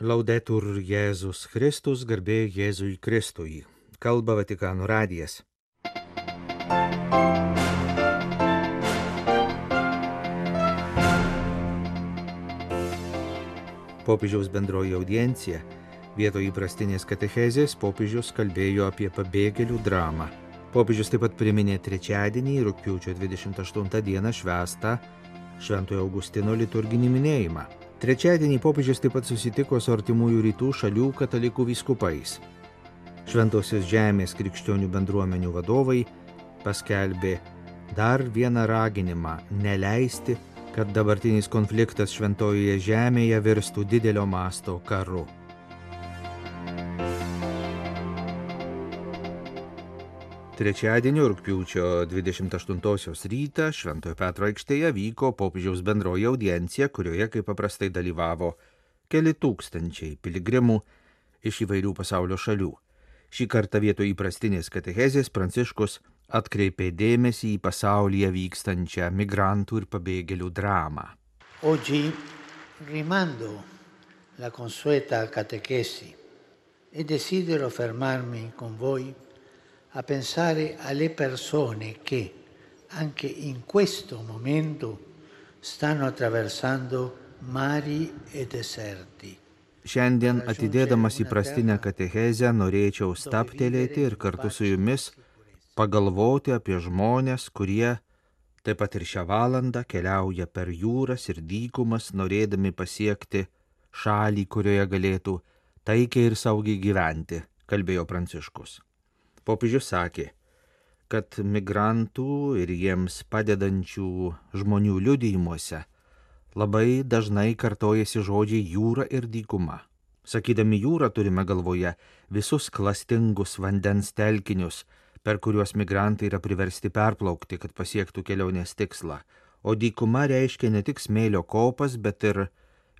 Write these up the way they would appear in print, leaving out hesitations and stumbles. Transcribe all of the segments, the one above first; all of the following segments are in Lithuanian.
Laudetur Jėzus Kristus, garbė Jėzui Kristui. Kalba Vatikano radijas. Popiežiaus bendroji audiencija. Vietoj įprastinės katechezės popiežius kalbėjo apie pabėgėlių dramą. Popiežius taip pat priminė trečiadienį, rugpjūčio 28 dieną švęstą Šventojo Augustino liturginį minėjimą. Trečiadienį popiežius taip pat susitiko su artimųjų rytų šalių katalikų vyskupais. Šventosios žemės krikščionių bendruomenių vadovai paskelbė dar vieną raginimą neleisti, kad dabartinis konfliktas Šventojoje žemėje virstų didelio masto karu. Trečiadienio rugpjūčio 28 rytą Šventojo Petro aikštėje vyko popiežiaus bendroji audiencija, kurioje kaip paprastai dalyvavo keli tūkstančiai piligrimų iš įvairių pasaulio šalių. Šį kartą vietoj įprastinės katechezės Pranciškus atkreipė dėmesį į pasaulyje vykstančią migrantų ir pabėgėlių dramą. Oggi rimando la consueta catechesi e desidero fermarmi con voi a pensare alle persone che anche in questo momento stanno attraversando mari e deserti. Šiandien atidėdamas įprastinę katechezę norėčiau stabtelėti ir kartu su jumis pagalvoti apie žmones, kurie taip pat ir šią valandą keliauja per jūras ir dykumas, norėdami pasiekti šalį, kurioje galėtų taikiai ir saugiai gyventi, kalbėjo Pranciškus. Popiežius sakė, kad migrantų ir jiems padedančių žmonių liudijimuose labai dažnai kartojasi žodžiai jūra ir dykuma. Sakydami jūrą turime galvoje visus klastingus vandens telkinius, per kuriuos migrantai yra priversti perplaukti, kad pasiektų kelionės tikslą. O dykuma reiškia ne tik smėlio kopas, bet ir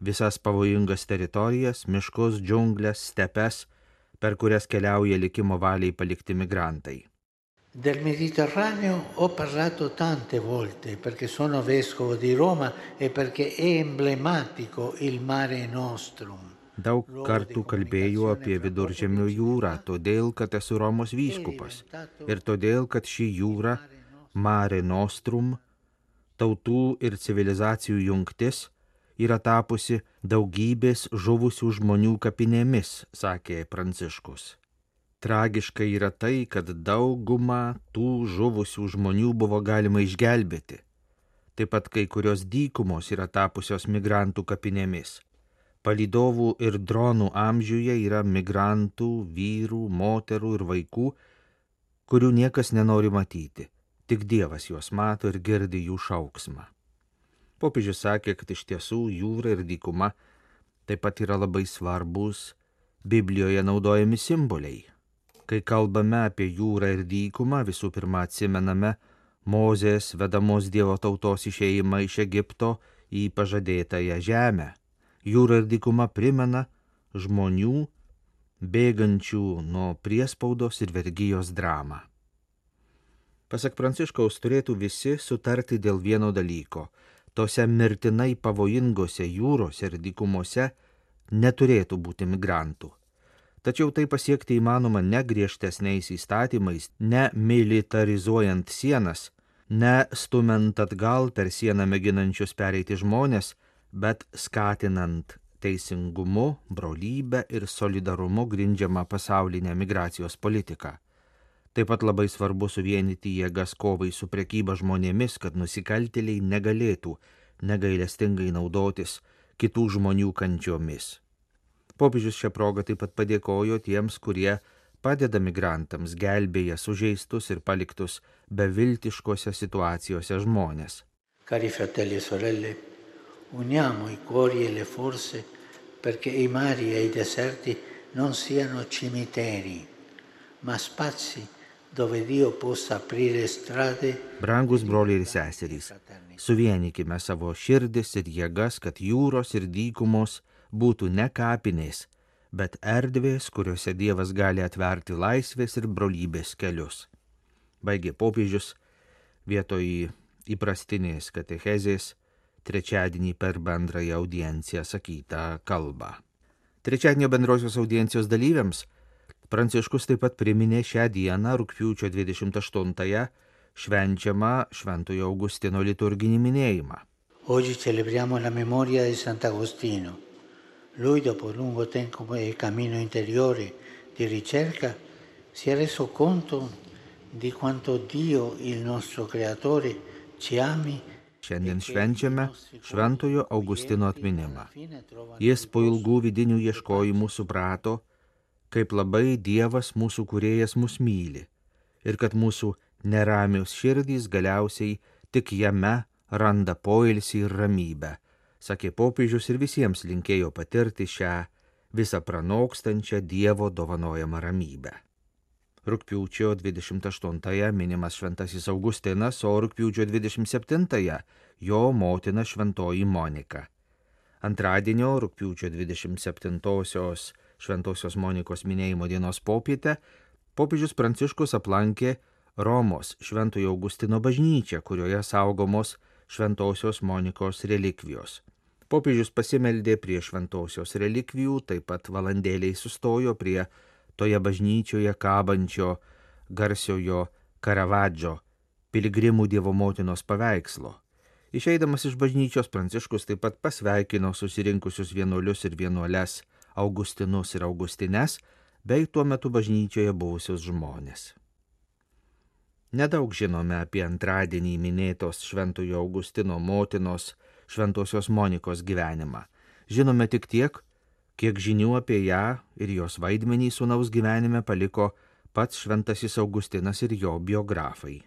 visas pavojingas teritorijas, miškus, džiunglės, stepes, per kurias keliauja likimo valiai palikti migrantai. Del Mediterraneo ho parlato tante volte perché sono vescovo di Roma e perché è emblematico il Mare Nostrum. Daug kartų kalbėjau apie Viduržemio jūrą, todėl, kad esu Romos vyskupas ir todėl, kad ši jūra, Mare Nostrum, tautų ir civilizacijų jungtis, yra tapusi daugybės žuvusių žmonių kapinėmis, sakė Pranciškus. Tragiška yra tai, kad daugumą tų žuvusių žmonių buvo galima išgelbėti. Taip pat kai kurios dykumos yra tapusios migrantų kapinėmis. Palydovų ir dronų amžiuje yra migrantų, vyrų, moterų ir vaikų, kurių niekas nenori matyti. Tik Dievas juos mato ir girdi jų šauksmą. Popiežius sakė, kad iš tiesų jūra ir dykuma taip pat yra labai svarbus Biblijoje naudojami simboliai. Kai kalbame apie jūrą ir dykumą, visų pirma atsimename Mozės vedamos Dievo tautos išėjimą iš Egipto į pažadėtąją žemę. Jūra ir dykuma primena žmonių bėgančių nuo priespaudos ir vergijos dramą. Pasak Pranciškaus, turėtų visi sutarti dėl vieno dalyko. Tose mirtinai pavojingose jūrose ir dykumose neturėtų būti migrantų. Tačiau tai pasiekti įmanoma ne griežtesniais įstatymais, ne militarizuojant sienas, ne stumiant atgal per sieną mėginančius pereiti žmonės, bet skatinant teisingumu, brolybę ir solidarumu grindžiamą pasaulinę migracijos politiką. Taip pat labai svarbu suvienyti jėgas kovai su prekyba žmonėmis, kad nusikaltėliai negalėtų negailestingai naudotis kitų žmonių kančiomis. Popiežius šią progą taip pat padėkojo tiems, kurie padeda migrantams, gelbėja sužeistus ir paliktus beviltiškose situacijose žmonės. Cari fratelli e sorelle, uniamo i cuori e le forze perché i mari e i deserti non siano cimiteri, ma spazi dove Dio possa aprire strade. Brangus broliai ir seserys, suvienykime savo širdis ir jėgas, kad jūros ir dykumos būtų ne kapinės, bet erdvės, kuriuose Dievas gali atverti laisvės ir brolybės kelius. Baigė popiežius vietoj įprastinės katechezės trečiadienį per bendrąją audienciją sakytą kalbą. Trečiadienio bendrosios audiencijos dalyviams Pranciškus taip pat priminė šią dieną, rugpjūčio 28-ąją, švenčiamą Šventojo Augustino liturginį minėjimą. Oggi celebriamo la memoria di Sant'Agostino. Lui, dopo un lungo tempo e cammino interiore di ricerca, si è reso conto di quanto Dio, il nostro Creatore, ci ami. Šiandien švenčiame Šventojo Augustino atminimą. Jis po ilgų vidinių ieškojimų suprato, kaip labai Dievas mūsų kūrėjas mus myli ir kad mūsų neramios širdys galiausiai tik jame randa poilsį ir ramybę, sakė popiežius ir visiems linkėjo patirti šią visą pranokstančią Dievo dovanojamą ramybę. Rugpjūčio 28-ąją minimas Šventasis Augustinas, o rugpjūčio 27-ąją jo motina Šventoji Monika. Antradienio rugpjūčio 27-osios Šventosios Monikos minėjimo dienos popietę popiežius Pranciškus aplankė Romos Šventojo Augustino bažnyčią, kurioje saugomos Šventosios Monikos relikvijos. Popiežius pasimeldė prie šventosios relikvijų, taip pat valandėliai sustojo prie toje bažnyčioje kabančio garsiojo Karavadžo piligrimų Dievo motinos paveikslo. Išeidamas iš bažnyčios Pranciškus taip pat pasveikino susirinkusius vienuolius ir vienuoles Augustinus ir Augustines, bei tuo metu bažnyčioje buvusius žmonės. Nedaug žinome apie antradienį minėtos Šventojo Augustino motinos Šventosios Monikos gyvenimą. Žinome tik tiek, kiek žinių apie ją ir jos vaidmenį sūnaus gyvenime paliko pats Šventasis Augustinas ir jo biografai.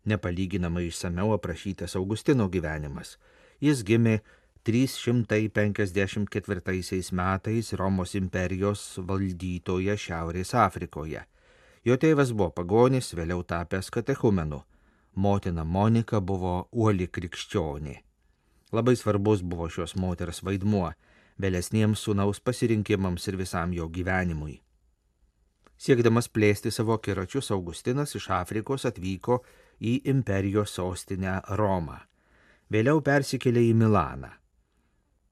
Nepalyginamai išsamiau aprašytas Augustino gyvenimas. Jis gimė 354 metais Romos imperijos valdytoje Šiaurės Afrikoje. Jo tėvas buvo pagonis, vėliau tapęs katechumenu. Motina Monika buvo uoli krikščionė. Labai svarbus buvo šios moters vaidmuo vėlesniems sūnaus pasirinkimams ir visam jo gyvenimui. Siekdamas plėsti savo akiračius, Augustinas iš Afrikos atvyko į imperijos sostinę Romą. Vėliau persikėlė į Milaną.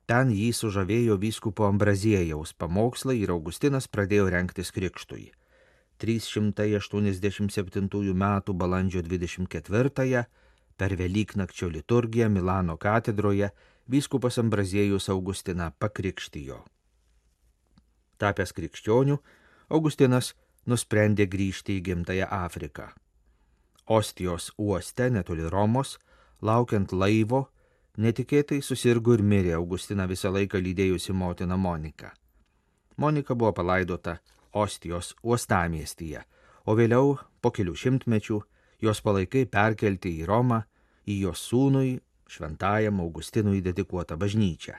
Ten jį sužavėjo vyskupo Ambraziejaus pamokslai ir Augustinas pradėjo rengtis krikštui. 387 metų balandžio 24-ąją per Velyknakčio liturgiją Milano katedroje vyskupas Ambraziejus Augustiną pakrikštijo. Tapęs krikščioniu, Augustinas nusprendė grįžti į gimtąją Afriką. Ostijos uoste netoli Romos, laukiant laivo, netikėtai susirgo ir mirė Augustiną visą laiką lydėjusi motina Monika. Monika buvo palaidota Ostijos uostamiestyje, o vėliau, po kelių šimtmečių, jos palaikai perkelti į Romą, į jos sūnui, šventajam Augustinui dedikuotą bažnyčią.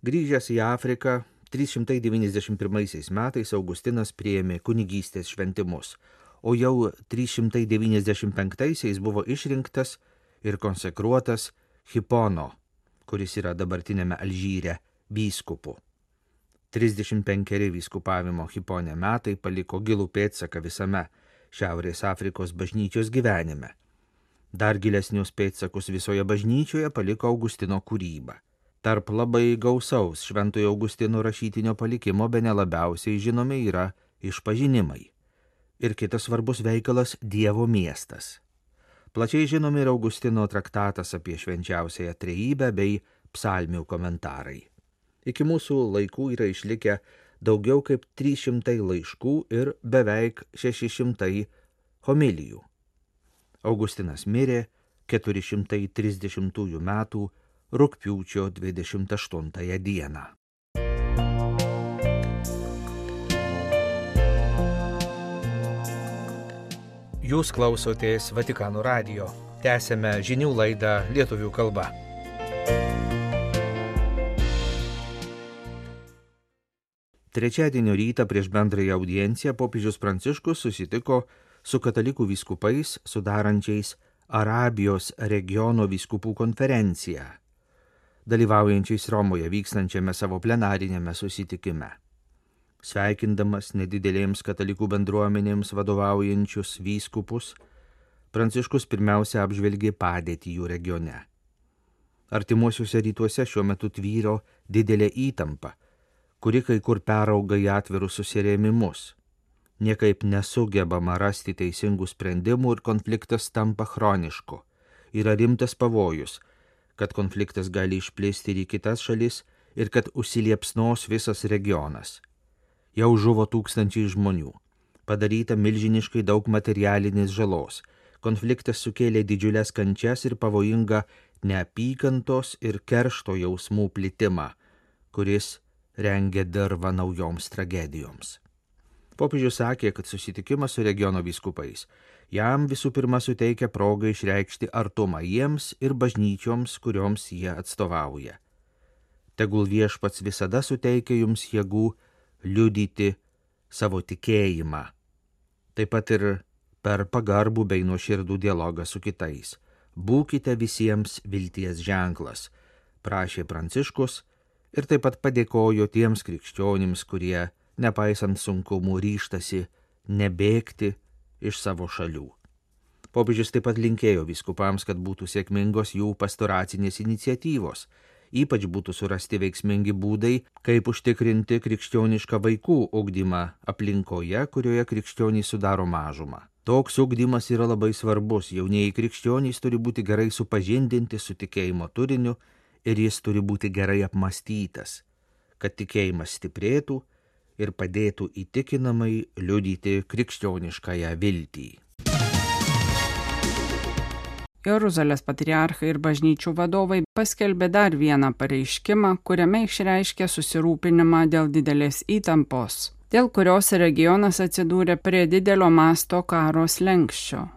Grįžęs į Afriką, 391 metais Augustinas priėmė kunigystės šventimus, o jau 395 buvo išrinktas ir konsekruotas Hipono, kuris yra dabartinėme Alžyre, vyskupu. 35 vyskupavimo Hipone metai paliko gilų pėdsaką visame Šiaurės Afrikos bažnyčios gyvenime. Dar gilesnius pėdsakus visoje bažnyčioje paliko Augustino kūryba. Tarp labai gausaus Šventojo Augustino rašytinio palikimo bene labiausiai žinomi yra Išpažinimai. Ir kitas svarbus veikalas Dievo miestas. Plačiai žinomi ir Augustino traktatas apie švenčiausiąją trejybę bei psalmių komentarai. Iki mūsų laikų yra išlikę daugiau kaip 300 laiškų ir beveik 600 homilijų. Augustinas mirė 430 metų rugpjūčio 28 dieną. Jūs klausotės Vatikano radijo. Tęsėme žinių laidą lietuvių kalba. Trečiadienio rytą prieš bendrąją audienciją popiežius Pranciškus susitiko su katalikų vyskupais sudarančiais Arabijos regiono vyskupų konferenciją, dalyvaujančiais Romoje vykstančiame savo plenarinėme susitikime. Sveikindamas nedidelėms katalikų bendruomenėms vadovaujančius vyskupus, Pranciškus pirmiausia apžvelgė padėtį jų regione. Artimuosiuose rytuose šiuo metu tvyro didelė įtampa kuri kai kur perauga į atvirus susirėmimus. Niekaip nesugebama rasti teisingų sprendimų ir konfliktas tampa chronišku. Yra rimtas pavojus, kad konfliktas gali išplisti ir į kitas šalis ir kad užsiliepsnos visas regionas. Jau žuvo tūkstančiai žmonių, padaryta milžiniškai daug materialinės žalos. Konfliktas sukėlė didžiulės kančias ir pavojingą neapykantos ir keršto jausmų plitimą, kuris rengia dirvą naujoms tragedijoms. Popiežius sakė, kad susitikimas su regiono vyskupais jam visų pirma suteikia progą išreikšti artumą jiems ir bažnyčioms, kurioms jie atstovauja. Tegul Viešpats visada suteikia jums jėgų liudyti savo tikėjimą, taip pat ir per pagarbų bei nuoširdų dialogą su kitais. Būkite visiems vilties ženklas, prašė Pranciškus ir taip pat padėkojo tiems krikščionims, kurie nepaisant sunkumų ryžtasi nebėgti iš savo šalių. Popiežius taip pat linkėjo vyskupams, kad būtų sėkmingos jų pastoracinės iniciatyvos, ypač būtų surasti veiksmingi būdai, kaip užtikrinti krikščionišką vaikų ugdymą aplinkoje, kurioje krikščionys sudaro mažumą. Toks ugdymas yra labai svarbus, jaunieji krikščionys turi būti gerai supažindinti su tikėjimo turiniu ir jis turi būti gerai apmąstytas, kad tikėjimas stiprėtų ir padėtų įtikinamai liudyti krikščioniškąją viltį. Jeruzalės patriarchai ir bažnyčių vadovai paskelbė dar vieną pareiškimą, kuriame išreiškė susirūpinimą dėl didelės įtampos, dėl kurios regionas atsidūrė prie didelio masto karo slenksčio.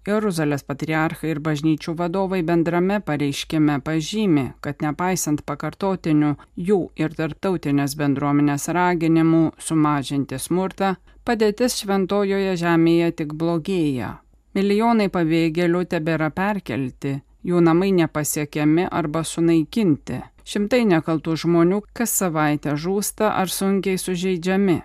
Jeruzalės patriarchai ir bažnyčių vadovai bendrame pareiškime pažymi, kad nepaisant pakartotinių jų ir tarptautinės bendruomenės raginimų sumažinti smurtą, padėtis Šventojoje žemėje tik blogėja. Milijonai pabėgėlių tebėra perkelti, jų namai nepasiekiami arba sunaikinti. Šimtai nekaltų žmonių kas savaitę žūsta ar sunkiai sužeidžiami.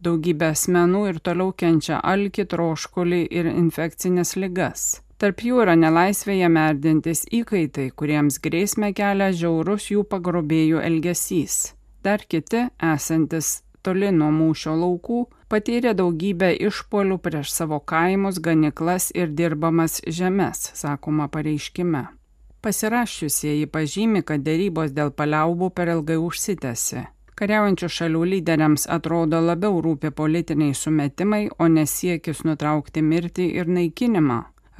Daugybė asmenų ir toliau kenčia alkį, troškulį ir infekcinės ligas. Tarp jų yra nelaisvėje merdintis įkaitai, kuriems grėsmę kelia žiaurus jų pagrobėjų elgesys. Dar kiti, esantis toli nuo mūšio laukų, patyrė daugybę išpuolių prieš savo kaimus, ganyklas ir dirbamas žemes, sakoma pareiškime. Pasirašiusieji pažymi, kad derybos dėl paliaubų per ilgai užsitęsė. Kariaujančių šalių lyderiams atrodo labiau rūpi politiniai sumetimai, o nesiekis nutraukti mirtį ir naikinimą,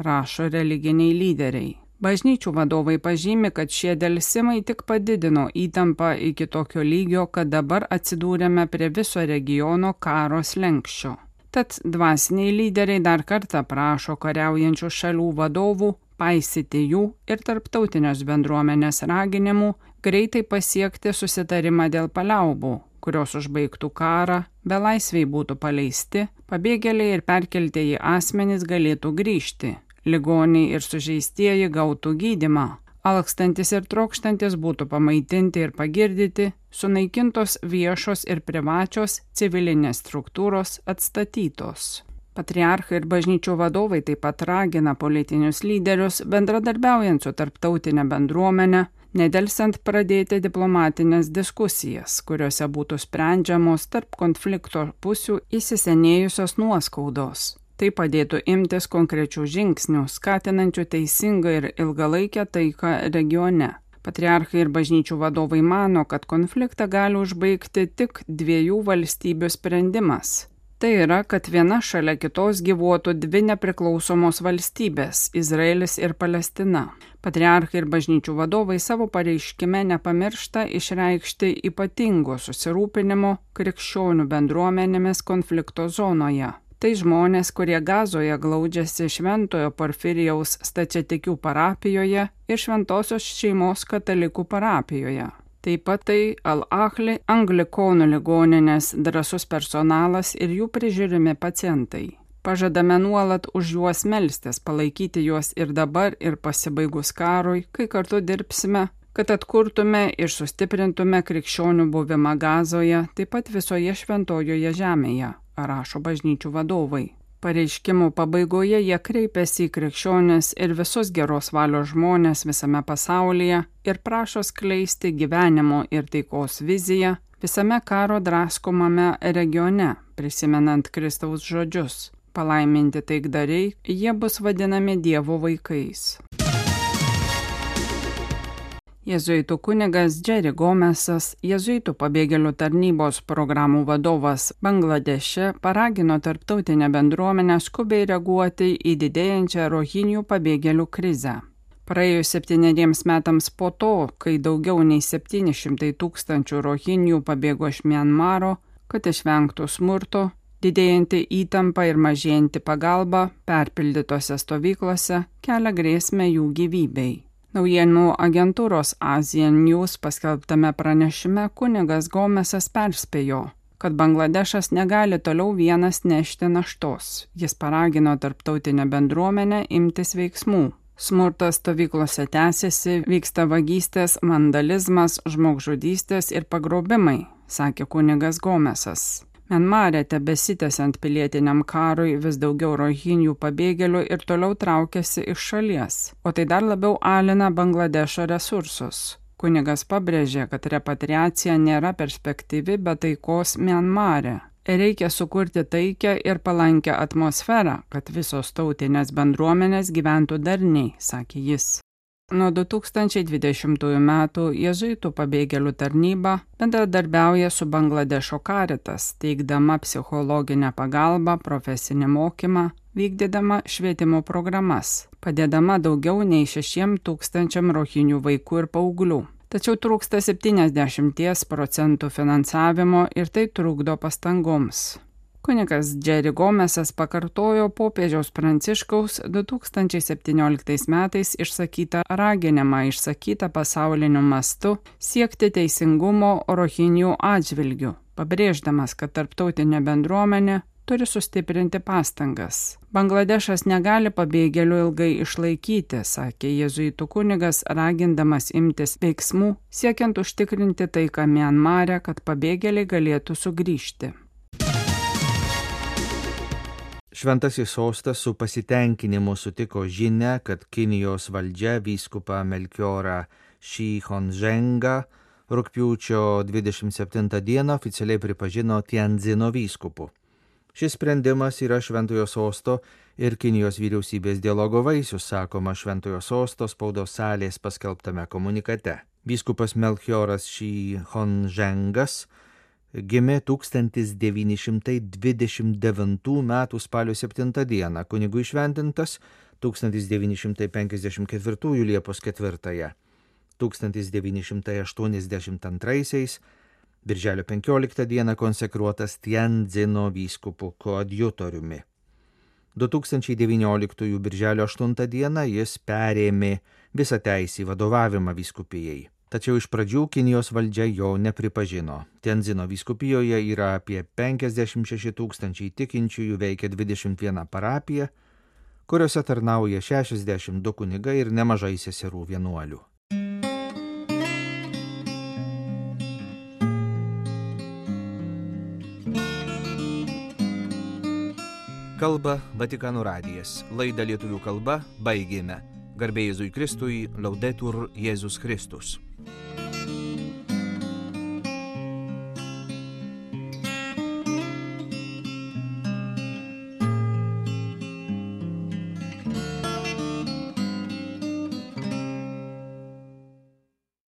rašo religiniai lyderiai. Bažnyčių vadovai pažymi, kad šie delsimai tik padidino įtampą iki tokio lygio, kad dabar atsidūrėme prie viso regiono karo slenksčio. Tad dvasiniai lyderiai dar kartą prašo kariaujančių šalių vadovų paisyti jų ir tarptautinės bendruomenės raginimų greitai pasiekti susitarimą dėl paliaubų, kurios užbaigtų karą, belaisviai būtų paleisti, pabėgėliai ir perkeltieji asmenys galėtų grįžti, ligoniai ir sužeistieji gautų gydymą, alkstantis ir trokštantis būtų pamaitinti ir pagirdyti, sunaikintos viešos ir privačios civilinės struktūros atstatytos. Patriarchai ir bažnyčių vadovai taip pat ragina politinius lyderius, bendradarbiaujant su tarptautinė bendruomenė, nedelsiant pradėti diplomatinės diskusijas, kuriuose būtų sprendžiamos tarp konflikto pusių įsisenėjusios nuoskaudos. Tai padėtų imtis konkrečių žingsnių, skatinančių teisingą ir ilgalaikę taiką regione. Patriarchai ir bažnyčių vadovai mano, kad konfliktą gali užbaigti tik dviejų valstybių sprendimas. Tai yra, kad viena šalia kitos gyvuotų dvi nepriklausomos valstybės – Izraelis ir Palestina. Patriarchai ir bažnyčių vadovai savo pareiškime nepamiršta išreikšti ypatingo susirūpinimo krikščionių bendruomenėmis konflikto zonoje. Tai žmonės, kurie Gazoje glaudžiasi Šventojo Porfirijaus stačiatikių parapijoje ir Šventosios šeimos katalikų parapijoje. Taip pat tai Al-Ahli anglikonų ligoninės drąsus personalas ir jų prižiūrimi pacientai. Pažadame nuolat už juos melstis, palaikyti juos ir dabar, ir pasibaigus karui, kai kartu dirbsime, kad atkurtume ir sustiprintume krikščionių buvimą Gazoje, taip pat visoje šventojoje žemėje, rašo bažnyčių vadovai. Pareiškimų pabaigoje jie kreipėsi į krikščionis ir visus geros valios žmonės visame pasaulyje ir prašo skleisti gyvenimo ir taikos viziją visame karo draskomame regione, prisimenant Kristaus žodžius. Palaiminti taikdariai, jie bus vadinami Dievo vaikais. Jėzuitų kunigas Jerry Gomesas, jėzuitų pabėgėlių tarnybos programų vadovas Bangladeše, paragino tarptautinę bendruomenę skubiai reaguoti į didėjančią rohinių pabėgėlių krizę. Praėjus 7 metams po to, kai daugiau nei 700 000 rohinių pabėgo iš Mianmaro, kad išvengtų smurto, didėjanti įtampa ir mažėjanti pagalba perpildytose stovyklose kelia grėsmę jų gyvybei. Naujienų agentūros Asian News paskelbtame pranešime kunigas Gomesas perspėjo, kad Bangladešas negali toliau vienas nešti naštos. Jis paragino tarptautinę bendruomenę imtis veiksmų. Smurtas stovyklose tęsiasi, vyksta vagystės, vandalizmas, žmogžudystės ir pagrobimai, sakė kunigas Gomesas. Mianmare tebesitęsiant pilietiniam karui vis daugiau rohinių pabėgėlių ir toliau traukiasi iš šalies, o tai dar labiau alina Bangladešo resursus. Kunigas pabrėžė, kad repatriacija nėra perspektyvi be taikos Mianmare. Reikia sukurti taikią ir palankę atmosferą, kad visos tautinės bendruomenės gyventų darniai, sakė jis. Nuo 2020 metų jėzuitų pabėgėlių tarnyba bendradarbiauja su Bangladešo Caritas, teikdama psichologinę pagalbą, profesinį mokymą, vykdydama švietimo programas, padėdama daugiau nei 6,000 rohinių vaikų ir paauglių. Tačiau trūksta 70% finansavimo ir tai trukdo pastangoms. Kunigas Jerry Gomesas pakartojo popiežiaus Pranciškaus 2017 metais išsakytą raginimą išsakytą pasauliniu mastu siekti teisingumo rohinių atžvilgių, pabrėždamas, kad tarptautinė bendruomenė turi sustiprinti pastangas. Bangladešas negali pabėgėlių ilgai išlaikyti, sakė jėzuitų kunigas, ragindamas imtis veiksmų, siekiant užtikrinti taiką Mianmare, kad pabėgėliai galėtų sugrįžti. Šventasis sostas su pasitenkinimu sutiko žinią, kad Kinijos valdžia vyskupą Melchiorą Shihonzhengą rugpjūčio 27 dieną oficialiai pripažino Tiandzino vyskupu. Šis sprendimas yra Šventojo sosto ir Kinijos vyriausybės dialogo vaisius, sakoma Šventojo sosto spaudos salės paskelbtame komunikate. Vyskupas Melchioras Shihonzhengas gimė 1929 m. spalio 7 dieną, kunigų įšventintas 1954 Liepos 4, 1982 birželio 15 dieną konsekruotas Tiandzino vyskupu koadjutoriumi. 2019 birželio 8 dieną jis perėmė visą teisę vadovavimą vyskupijai. Tačiau iš pradžių Kinijos valdžia jo nepripažino. Tiandzino vyskupijoje yra apie 56 000 tikinčiųjų, veikia 21 parapija, kuriuose tarnauja 62 kunigai ir nemažai seserų vienuolių. Kalba Vatikano radijas. Laidą lietuvių kalba baigėme. Garbė Jėzui Kristui, Laudetur Jėzus Kristus.